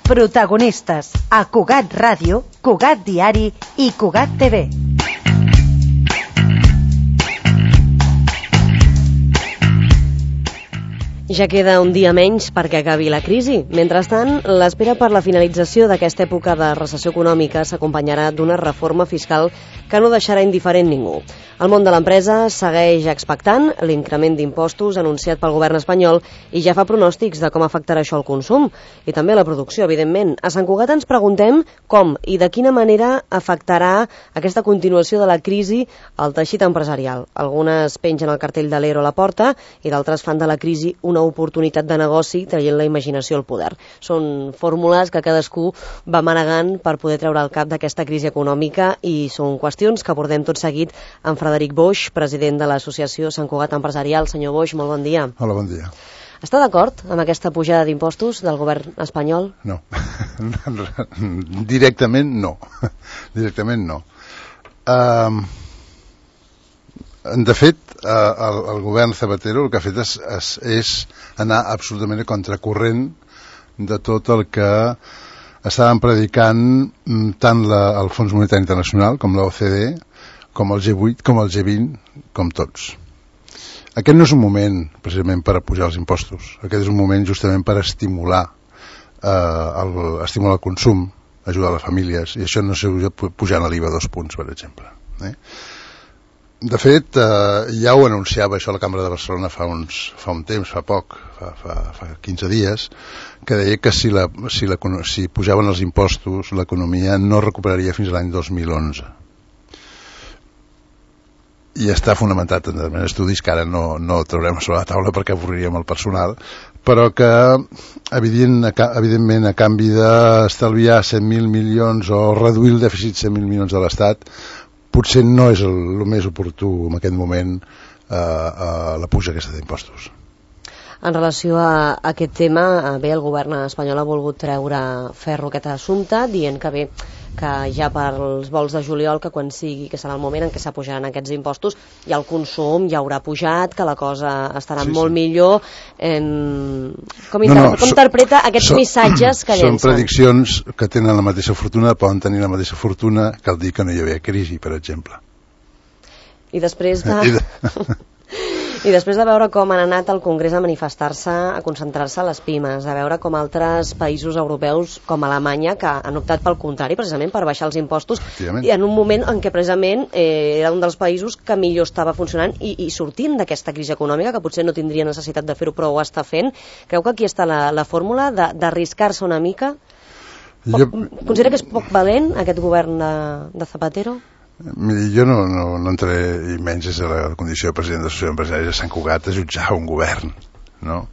Protagonistes a Cugat Ràdio, Cugat Diari i Cugat TV. Ja queda un dia menys perquè acabi la crisi. Mentrestant, l'espera per la finalització d'aquesta època de recessió econòmica s'acompanyarà d'una reforma fiscal que no deixarà indiferent ningú. El món de l'empresa segueix expectant l'increment d'impostos anunciat pel govern espanyol i ja fa pronòstics de com afectarà això al consum i també a la producció, evidentment. A Sant Cugat ens preguntem com i de quina manera afectarà aquesta continuació de la crisi al teixit empresarial. Algunes pengen el cartell de l'ERO a la porta i d'altres fan de la crisi una oportunitat de negoci traient la imaginació al poder. Són fórmules que cadascú va manegant per poder treure el cap d'aquesta crisi econòmica i són qüestions que abordem tot seguit amb Frederic Boix, president de l'associació Sant Cugat Empresarial. Senyor Boix, molt bon dia. Hola, bon dia. Està d'acord amb aquesta pujada d'impostos del govern espanyol? No. Directament no. Directament no. De fet, el govern Zapatero el que ha fet és anar absolutament a contracorrent de tot el que estaven predicant tant el Fons Monetari Internacional com l'OCDE, com el G8, com el G20, com tots. Aquest no és un moment precisament per pujar els impostos, aquest és un moment justament per estimular el consum, ajudar les famílies, i això no s'ajuda pujant l'IVA 2 punts, per exemple. De fet, ja ho anunciava això a la Cambra de Barcelona fa un temps, fa poc, fa 15 dies, que deia que si pujaven els impostos l'economia no recuperaria fins a l'any 2011. I està fonamentat en estudis que ara no traurem sobre la taula perquè avorriríem el personal, però que evidentment a canvi d'estalviar 100.000 milions o reduir el dèficit 100.000 milions de l'Estat, potser no és el més oportú en aquest moment la puja aquesta d'impostos. En relació a aquest tema, bé, el govern espanyol ha volgut treure ferro aquest assumpte, dient que ja pels vols de juliol, que quan sigui, que serà el moment en què s'apujaran aquests impostos, ja el consum ja haurà pujat, que la cosa estarà molt millor. Com interpreta aquests missatges que llencen? Són prediccions que tenen la mateixa fortuna, poden tenir la mateixa fortuna que el dir que no hi havia crisi, per exemple. I després I després de veure com han anat al Congrés a manifestar-se, a concentrar-se a les pimes, de veure com altres països europeus, com Alemanya, que han optat pel contrari, precisament per baixar els impostos, i en un moment en què precisament era un dels països que millor estava funcionant i sortint d'aquesta crisi econòmica, que potser no tindria necessitat de fer-ho, però ho està fent. Creu que aquí està la fórmula d'arriscar-se una mica? Considera que és poc valent aquest govern de Zapatero? Miri, jo no entraré, i menys és la condició de president de l'Associació d'Empresaris de Sant Cugat, a jutjar un govern, no?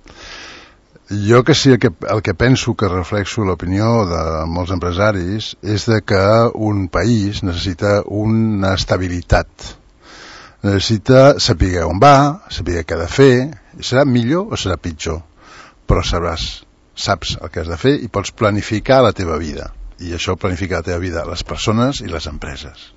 Jo que sí, el que penso, que reflexo l'opinió de molts empresaris, és de que un país necessita una estabilitat, necessita saber on va, saber què ha de fer, i serà millor o serà pitjor, però saps el que has de fer i pots planificar la teva vida, i això planificar la teva vida, les persones i les empreses.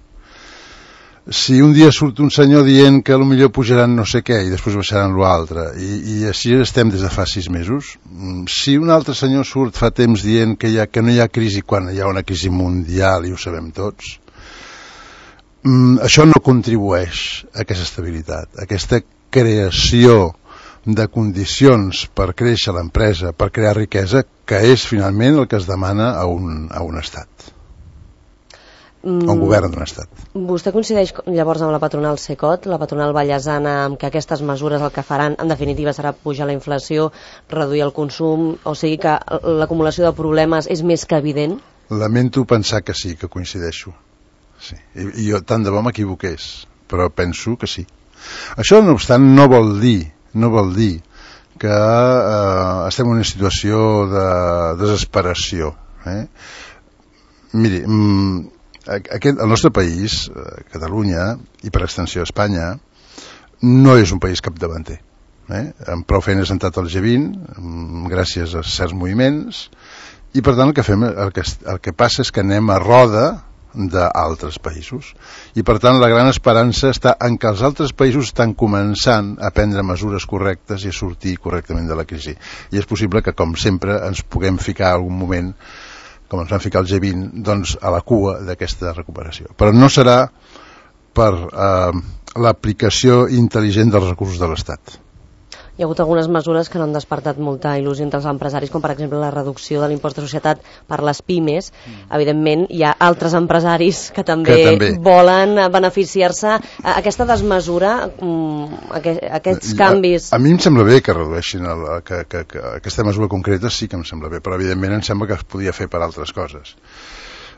Si un dia surt un senyor dient que potser pujaran no sé què i després baixaran l'altre, i així estem des de fa 6 mesos, si un altre senyor surt fa temps dient que no hi ha crisi quan hi ha una crisi mundial, i ho sabem tots, això no contribueix a aquesta estabilitat, a aquesta creació de condicions per créixer l'empresa, per crear riquesa, que és finalment el que es demana a un estat. Un govern d'un estat. Vostè coincideix llavors amb la patronal Cecot, la patronal ballesana, amb que aquestes mesures el que faran en definitiva serà pujar la inflació, reduir el consum, o sigui que l'acumulació de problemes és més que evident? Lamento pensar que sí, que coincideixo. Sí. I jo tant de bo m'equivoqués, però penso que sí. Això, no obstant, no vol dir que estem en una situació de desesperació. Miri, el nostre país, Catalunya, i per extensió Espanya, no és un país capdavanter. Amb prou feines ha entrat al G20, gràcies a certs moviments, i per tant el que passa és que anem a roda d'altres països. I per tant la gran esperança està en que els altres països estan començant a prendre mesures correctes i a sortir correctament de la crisi. I és possible que, com sempre, ens puguem ficar algun moment, com ens van ficar el G20, doncs a la cua d'aquesta recuperació. Però no serà per l'aplicació intel·ligent dels recursos de l'Estat. Hi ha hagut algunes mesures que no han despertat molta il·lusió entre els empresaris, com per exemple la reducció de l'impost de societat per les pimes. Evidentment, hi ha altres empresaris que també volen beneficiar-se. Aquesta desmesura, aquests canvis... A mi em sembla bé que redueixin que aquesta mesura concreta, sí que em sembla bé, però evidentment em sembla que es podia fer per altres coses.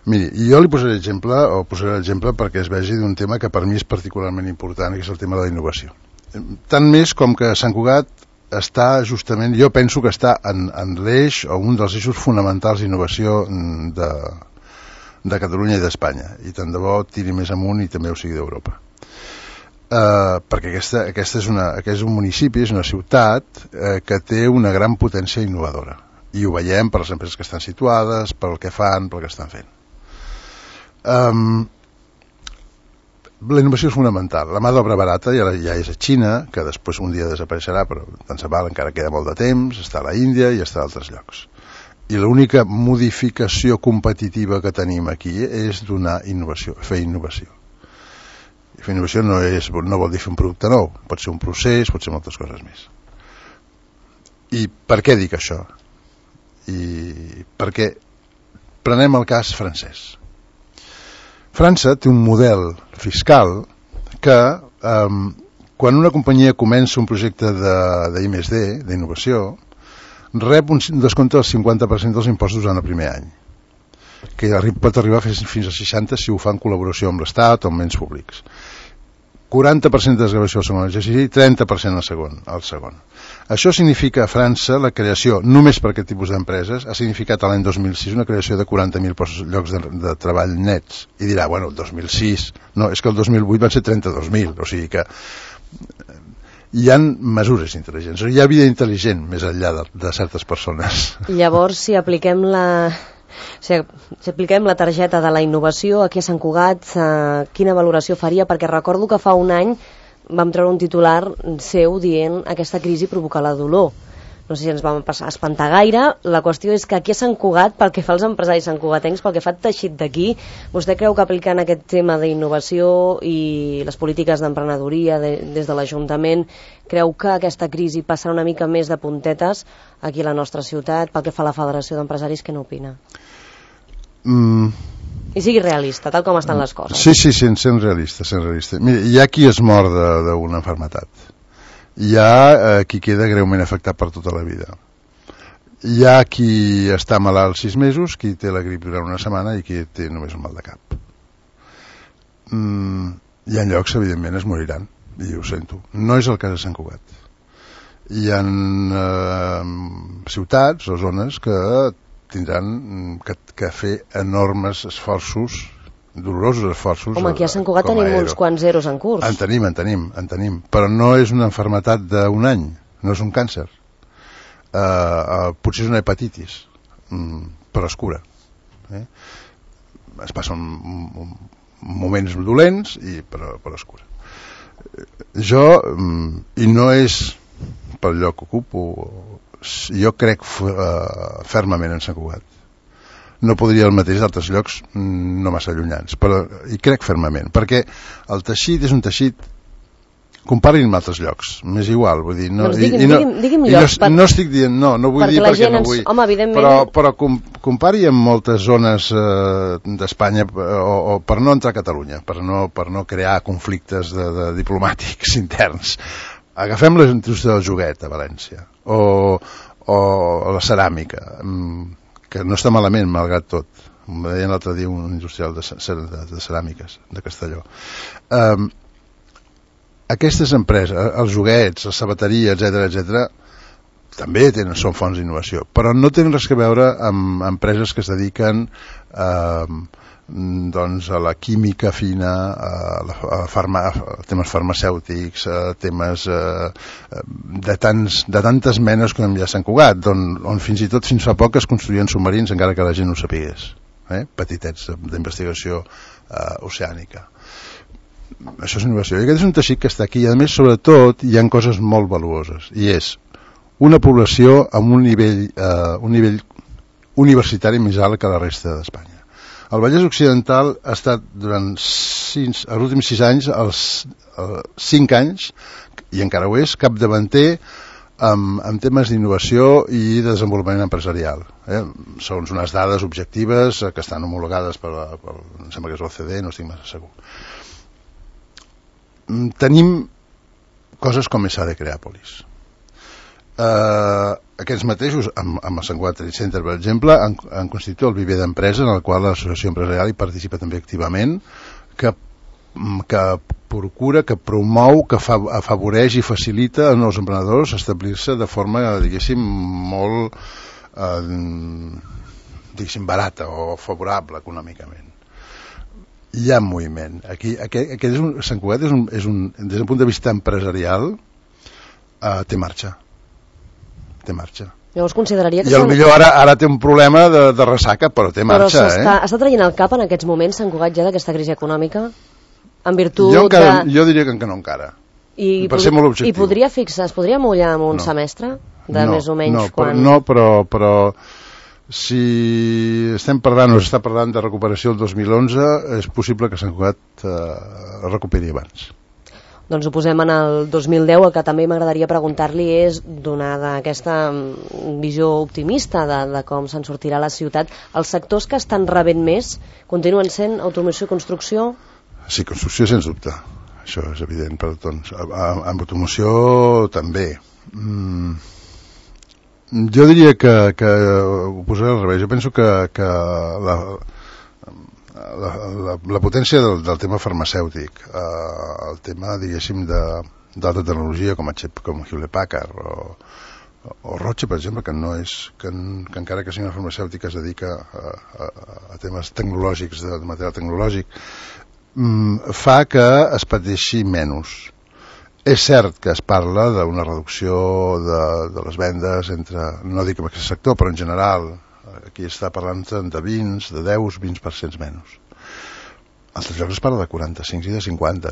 Miri, jo li posaré l'exemple perquè es vegi d'un tema que per mi és particularment important, que és el tema de la innovació. Tant més com que Sant Cugat està justament, jo penso que està en l'eix o un dels eixos fonamentals d'innovació de Catalunya i d'Espanya, i tant de bo tiri més amunt i també ho sigui d'Europa. Perquè aquest és un municipi, és una ciutat que té una gran potència innovadora, i ho veiem per les empreses que estan situades, per el que fan, pel que estan fent. La innovació és fonamental. La mà d'obra barata ja és a Xina, que després un dia desapareixerà, però tant se val, encara queda molt de temps, està a la Índia i està a altres llocs. I l'única modificació competitiva que tenim aquí és donar innovació, fer innovació. I fer innovació no vol dir fer un producte nou, pot ser un procés, pot ser moltes coses més. I per què dic això? Perquè prenem el cas francès. França té un model fiscal que quan una companyia comença un projecte d'I+D, d'innovació, rep un descompte del 50% dels impostos en el primer any, que pot arribar fins a 60% si ho fa en col·laboració amb l'Estat o amb ens públics. 40% de desgravació al segon exercici i 30% al segon. Això significa a França la creació, només per aquest tipus d'empreses, ha significat l'any 2006 una creació de 40.000 llocs de treball nets. I dirà, bueno, 2006, no, és que el 2008 van ser 32.000, o sigui que hi ha mesures intel·ligents, hi ha vida intel·ligent més enllà de certes persones. Llavors, si apliquem la targeta de la innovació aquí a Sant Cugat, quina valoració faria? Perquè recordo que fa un any vam treure un titular seu dient aquesta crisi provoca la dolor. No sé si ens vam espantar gaire. La qüestió és que aquí a Sant Cugat, pel que fa als empresaris santcugatencs, pel que fa al teixit d'aquí, vostè creu que aplicant aquest tema d'innovació i les polítiques d'emprenedoria des de l'Ajuntament, creu que aquesta crisi passarà una mica més de puntetes aquí a la nostra ciutat? Pel que fa a la Federació d'Empresaris, què n'opina? I sigui realista, tal com estan les coses. Sí, sent realista. Mira, hi ha qui es mor d'una malaltia. Hi ha qui queda greument afectat per tota la vida. Hi ha qui està malalt 6 mesos, qui té la grip durant una setmana i qui té només un mal de cap. Hi ha llocs, evidentment, es moriran, i ho sento. No és el cas de Sant Cugat. Hi ha ciutats o zones que tindran que fer enormes esforços, dolorosos esforços. Home, aquí a Sant Cugat tenim uns quants zeros en curs. En tenim, però no és una malaltia d'un any, no és un càncer. Potser és una hepatitis, però es cura. Es passen moments dolents, però es cura. I no és pel lloc que ocupo, jo crec fermament en Sant Cugat. No podria el mateix d'altres llocs no massa allunyans, però hi crec fermament, perquè el teixit és un teixit, comparin amb altres llocs, m'és igual, vull dir, no, digui'm llocs, no estic dient, no vull dir perquè no vull, home, evidentment... però compari amb moltes zones d'Espanya, o per no entrar a Catalunya, per no crear conflictes diplomàtics interns. Agafem la indústria del joguet a València, o la ceràmica, que no està malament, malgrat tot. Em deien l'altre dia un industrial de ceràmiques de Castelló. Aquestes empreses, els joguets, la sabateria, etc., també són fonts d'innovació, però no tenen res a veure amb empreses que es dediquen a la química fina, a temes farmacèutics, a temes de tantes menes com hi ha a Sant Cugat, on fins i tot fins fa poc es construïen submarins encara que la gent no ho sapigués. petitets d'investigació oceànica. Això és innovació. I aquest és un teixit que està aquí, i a més, sobretot, hi ha coses molt valuoses, i és una població amb un nivell universitari més alt que la resta d'Espanya. El Vallès Occidental ha estat durant els últims 6 anys, els 5 anys, i encara ho és, capdavanter en temes d'innovació i de desenvolupament empresarial. Segons unes dades objectives que estan homologades em sembla que és l'OCDE, no estic massa segur. Tenim coses com ESADE Creàpolis. Aquests mateixos, amb el Sant Cugat Trade Center, per exemple, han constituït el viver d'empresa en el qual l'associació empresarial hi participa també activament, que procura, que promou, que afavoreix i facilita als nous emprenedors establir-se de forma, diguéssim, molt barata o favorable econòmicament. Hi ha moviment. Sant Cugat des del punt de vista empresarial té marxa. Llavors consideraria que... I potser ara té un problema de ressaca, però té marxa. Però està traient el cap en aquests moments Sant Cugat ja d'aquesta crisi econòmica? En virtut jo diria que no encara. Per ser molt objectiu. I es podria mullar amb un semestre? Més o menys quan... No, però si s'està parlant de recuperació el 2011, és possible que Sant Cugat recuperi abans. Doncs ho posem en el 2010. El que també m'agradaria preguntar-li és, donada aquesta visió optimista de com se'n sortirà la ciutat, els sectors que estan rebent més continuen sent automoció i construcció? Sí, construcció sens dubte, això és evident per tots. Amb automoció també. Jo diria que ho posaré al revés. Jo penso que la potència del tema farmacèutic, el tema, diguéssim, d'alta tecnologia com Hewlett Packard o Roche, per exemple, que encara que sigui una farmacèutica es dedica a temes tecnològics, de material tecnològic, fa que es pateixi menys. És cert que es parla d'una reducció de les vendes no dic en aquest sector, però en general aquí està parlant de 10-20% menys. A altres llocs es parla de 45 i de 50,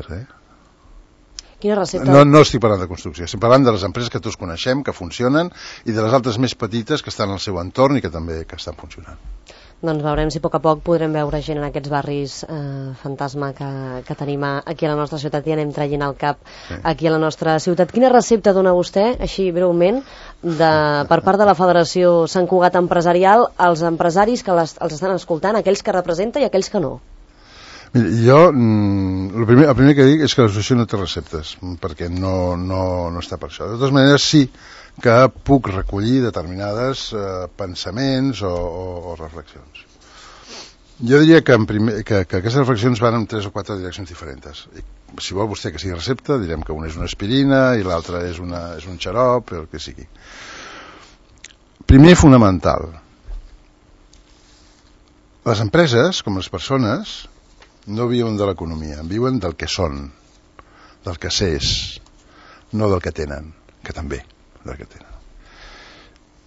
Quina recepta? No estic parlant de construcció, estic parlant de les empreses que tots coneixem, que funcionen, i de les altres més petites que estan al seu entorn i que també estan funcionant. Doncs veurem si a poc a poc podrem veure gent en aquests barris fantasma que tenim aquí a la nostra ciutat i anem traient el cap aquí a la nostra ciutat. Quina recepta dona vostè, així breument, per part de la Federació Sant Cugat Empresarial als empresaris que els estan escoltant, aquells que representa i aquells que no? Mira, jo el primer que dic és que l'associació no té receptes, perquè no està per això. De totes maneres, sí que puc recollir determinades pensaments o reflexions. Jo diria que aquestes reflexions van en 3 o 4 direccions diferents. Si vol vostè que sigui recepta, direm que una és una aspirina i l'altra és un xarop, el que sigui. Primer, fonamental. Les empreses, com les persones, no viuen de l'economia, viuen del que són, del que s'és, no del que tenen, que també del que tenen.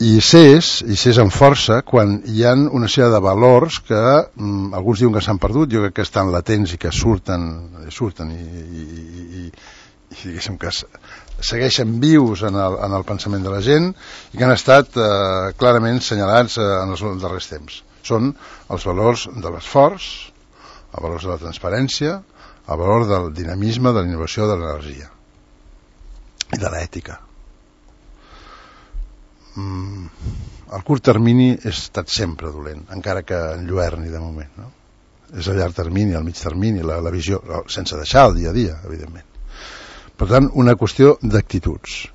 I s'és amb força quan hi ha una sèrie de valors que alguns diuen que s'han perdut, jo crec que estan latents i que surten i diguéssim que segueixen vius en el pensament de la gent i que han estat clarament senyalats en els darrers temps. Són els valors de l'esforç, els valors de la transparència, el valor del dinamisme, de la innovació, de l'energia i de l'ètica. El curt termini ha estat sempre dolent, encara que enlluerni de moment, no? És el llarg termini, el mig termini, la visió, sense deixar el dia a dia, evidentment. Per tant, una qüestió d'actituds.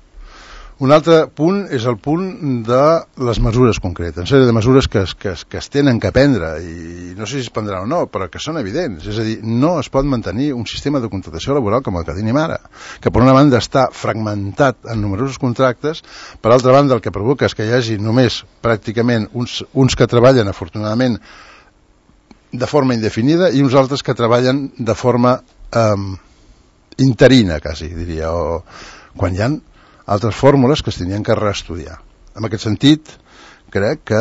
Un altre punt és el punt de les mesures concretes, una sèrie de mesures que es tenen que prendre, i no sé si es prendran o no, però que són evidents. És a dir, no es pot mantenir un sistema de contractació laboral com el que tenim ara, que per una banda està fragmentat en numerosos contractes, per altra banda el que provoca és que hi hagi només pràcticament uns que treballen, afortunadament, de forma indefinida i uns altres que treballen de forma interina, quasi, diria, o quan hi ha altres fórmules que es tenien que reestudiar. En aquest sentit, crec que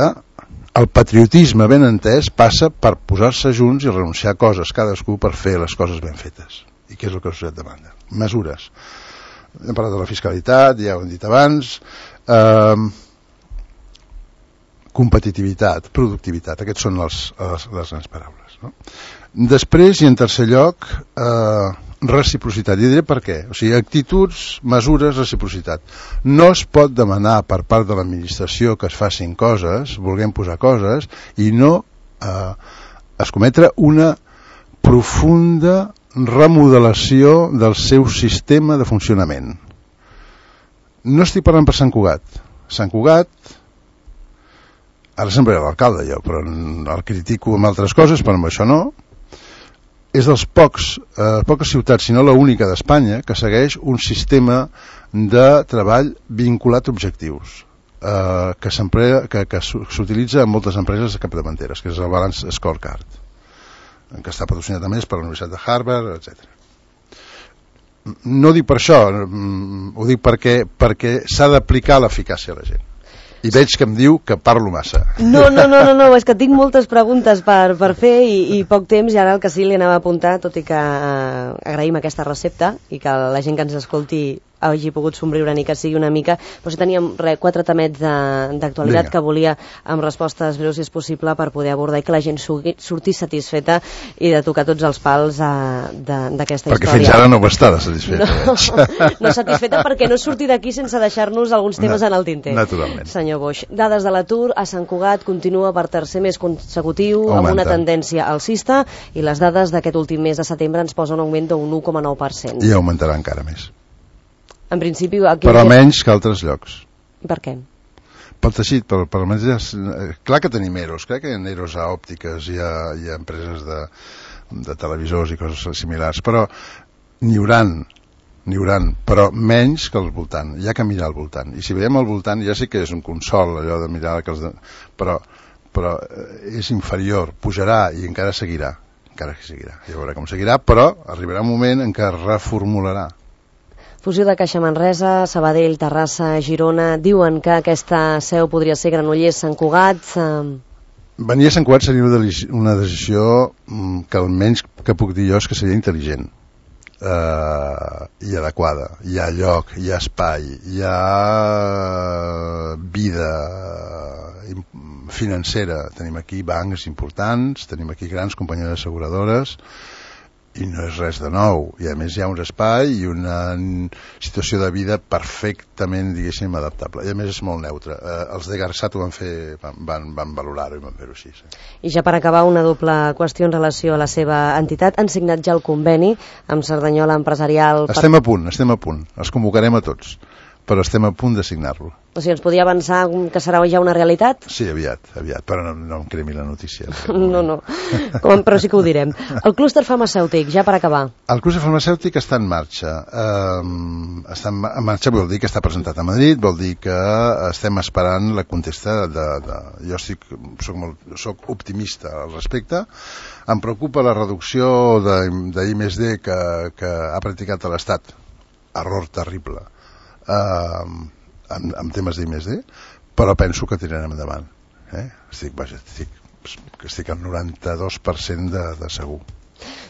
el patriotisme ben entès passa per posar-se junts i renunciar a coses cadascú per fer les coses ben fetes. I què és el que la societat demanda? Mesures. Hem parlat de la fiscalitat, ja ho hem dit abans, competitivitat, productivitat, aquests són les grans paraules, no? Després, i en tercer lloc, reciprocitat. I diré per què. O sigui, actituds, mesures, reciprocitat. No es pot demanar per part de l'administració que es facin coses, vulguem posar coses, i no escometre una profunda remodelació del seu sistema de funcionament. No estic parlant per Sant Cugat. Sant Cugat, ara sempre era l'alcalde jo, però el critico amb altres coses, però amb això no, és dels poques ciutats, si no l'única d'Espanya, que segueix un sistema de treball vinculat a objectius, que s'utilitza en moltes empreses capdavanteres, que és el Balance Scorecard, que està patrocinat a més per la Universitat de Harvard, etc. No dic per això, ho dic perquè s'ha d'aplicar l'eficàcia a la gent. I veig que em diu que parlo massa. No, és que tinc moltes preguntes per fer i poc temps, i ara el que sí li anava a apuntar, tot i que agraïm aquesta recepta i que la gent que ens escolti hagi pogut somriure ni que sigui una mica, però si teníem 4 temets d'actualitat que volia amb respostes breus, si és possible, per poder abordar i que la gent sortís satisfeta i de tocar tots els pals d'aquesta història. Perquè fins ara no ho està satisfeta. No satisfeta perquè no surti d'aquí sense deixar-nos alguns temes en el tinter. Naturalment. Senyor Boix, dades de l'atur a Sant Cugat continua per tercer mes consecutiu amb una tendència alcista, i les dades d'aquest últim mes de setembre ens posen un augment d'un 1,9%. I augmentarà encara més. En principi, però menys que altres llocs. Per què? Pel teixit, per almenys clar que tenim EROs, crec que hi ha EROs a òptiques, hi ha empreses de televisors i coses similars, però n'hi hauran, però menys que al voltant. Hi ha que mirar al voltant, i si veiem al voltant ja sí que és un consol allò de mirar però és inferior, pujarà i encara seguirà, ja veurà com seguirà, però arribarà un moment en què es reformularà. Fusió de Caixa Manresa, Sabadell, Terrassa, Girona, diuen que aquesta seu podria ser Granollers, Sant Cugat. Venir a Sant Cugat seria una decisió que almenys que puc dir jo és que seria intel·ligent i adequada. Hi ha lloc, hi ha espai, hi ha vida financera. Tenim aquí bancs importants, tenim aquí grans companyies asseguradores, i no és res de nou, i a més hi ha un espai i una situació de vida perfectament, diguéssim, adaptable, i a més és molt neutre. Els de Garsat ho van valorar-ho i van fer-ho així, sí. I ja per acabar, una doble qüestió en relació a la seva entitat. Han signat ja el conveni amb Cerdanyola Empresarial? Estem a punt, els convocarem a tots, però estem a punt de signar-lo. O sigui, ens podia avançar que serà ja una realitat? Sí, aviat, però no em cremi la notícia. No, però sí que ho direm. El clúster farmacèutic, ja per acabar. El clúster farmacèutic està en marxa. Està en marxa vol dir que està presentat a Madrid, vol dir que estem esperant la contesta jo soc optimista al respecte. Em preocupa la reducció d'I+D que ha practicat l'Estat. Error terrible. En temes d'I+D, però penso que tirarem endavant. Estic al 92% de segur.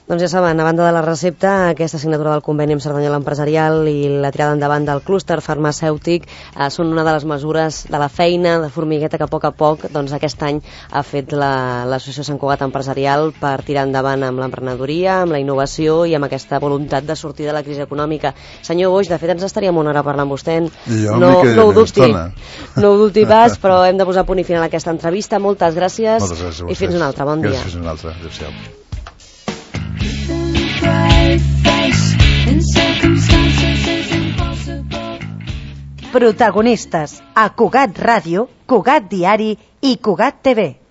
Doncs ja saben, a banda de la recepta, aquesta signatura del conveni amb Cerdanyola Empresarial i la tirada endavant del clúster farmacèutic són una de les mesures de la feina de formigueta que a poc doncs, aquest any ha fet l'Associació Sant Cugat Empresarial per tirar endavant amb l'emprenedoria, amb la innovació i amb aquesta voluntat de sortir de la crisi econòmica. Senyor Boix, de fet ens estaríem una hora parlant amb vostè. No ho dubti pas, però hem de posar punt i final a aquesta entrevista. Moltes gràcies i fins una altra. Bon dia. Gràcies, fins una altra. Adéu-siau. Protagonistes a Cugat Ràdio, Cugat Diari i Cugat TV.